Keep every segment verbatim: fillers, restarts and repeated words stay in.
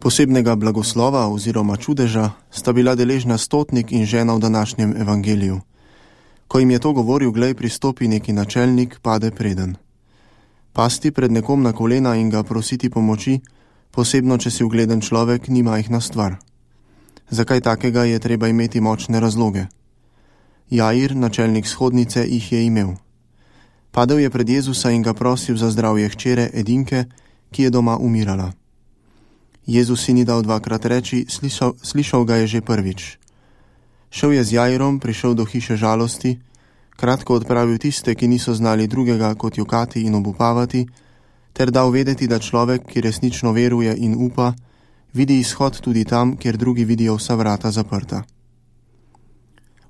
Posebnega blagoslova oziroma čudeža sta bila deležna stotnik in žena v današnjem evangeliju. Ko jim je to govoril, glej, pristopi neki načelnik, pade preden. Pasti pred nekom na kolena in ga prositi pomoči, posebno če si ugleden človek, ni majhna stvar. Zakaj takega je treba imeti močne razloge? Jair, načelnik shodnice, jih je imel. Padel je pred Jezusa in ga prosil za zdravje hčere edinke, ki je doma umirala. Jezus si ni dal dvakrat reči, slišal, slišal ga je že prvič. Šel je z Jairom, prišel do hiše žalosti, kratko odpravil tiste, ki niso znali drugega kot jokati in obupavati, ter dal vedeti, da človek, ki resnično veruje in upa, vidi izhod tudi tam, kjer drugi vidijo vsa vrata zaprta.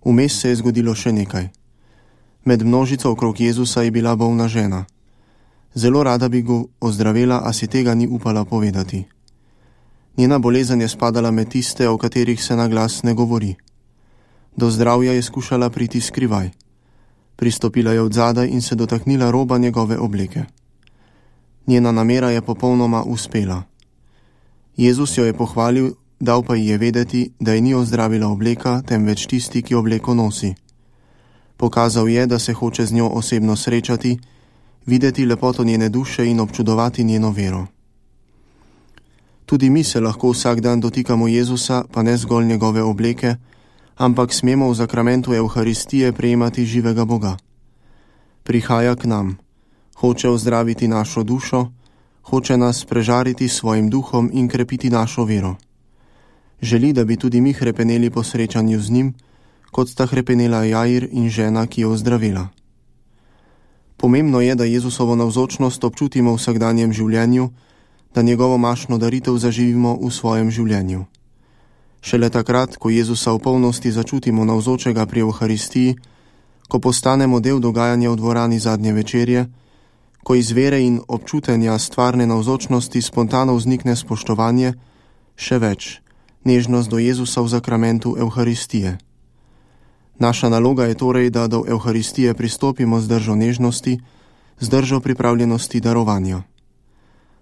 Vmes se je zgodilo še nekaj. Med množico okrog Jezusa je bila bolna žena. Zelo rada bi ga ozdravila, a si tega ni upala povedati. Njena bolezen je spadala med tiste, o katerih se na glas ne govori. Do zdravja je skušala priti skrivaj. Pristopila je odzadaj in se dotaknila roba njegove obleke. Njena namera je popolnoma uspela. Jezus jo je pohvalil, dal pa ji je vedeti, da je ni ozdravila obleka, temveč tisti, ki obleko nosi. Pokazal je, da se hoče z njo osebno srečati, videti lepoto njene duše in občudovati njeno vero. Tudi mi se lahko vsak dan dotikamo Jezusa, pa ne zgolj njegove obleke, ampak smemo v zakramentu Evharistije prejemati živega Boga. Prihaja k nam, hoče ozdraviti našo dušo, hoče nas prežariti s svojim duhom in krepiti našo vero. Želi, da bi tudi mi hrepeneli po srečanju z njim, kot sta hrepenela Jair in žena, ki je ozdravila. Pomembno je, da Jezusovo navzočnost občutimo v vsakdanjem življenju, da njegovo mašno daritev zaživimo v svojem življenju. Šele takrat, ko Jezusa v polnosti začutimo navzočega pri Evharistiji, ko postanemo del dogajanja v dvorani zadnje večerje, ko iz vere in občutenja stvarne navzočnosti spontano vznikne spoštovanje, še več, nežnost do Jezusa v zakramentu Evharistije. Naša naloga je torej, da do Evharistije pristopimo z držo nežnosti, z držo pripravljenosti darovanja.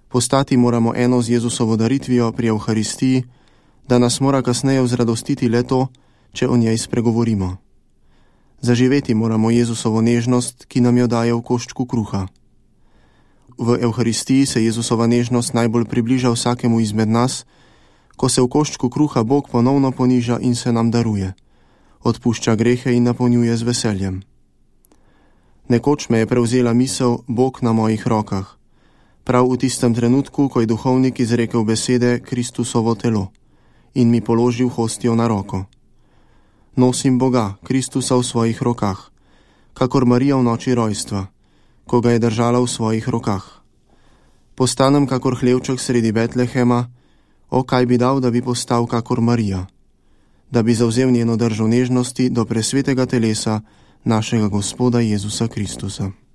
Postati moramo eno z Jezusovo daritvijo pri Evharistiji, da nas mora kasneje vzradostiti le to, če o njej spregovorimo. Zaživeti moramo Jezusovo nežnost, ki nam jo daje v koščku kruha. V Evharistiji se Jezusova nežnost najbolj približa vsakemu izmed nas, ko se v koščku kruha Bog ponovno poniža in se nam daruje, odpušča grehe in napolnjuje z veseljem. Nekoč me je prevzela misel Bog na mojih rokah, prav v tistem trenutku, ko je duhovnik izrekel besede Kristusovo telo in mi položil hostijo na roko. Nosim Boga, Kristusa v svojih rokah, kakor Marija v noči rojstva, ko ga je držala v svojih rokah. Postanem kakor hlevček sredi Betlehema, o kaj bi dal, da bi postal kakor Marija, da bi zavzel njeno držo nežnosti do presvetega telesa našega Gospoda Jezusa Kristusa.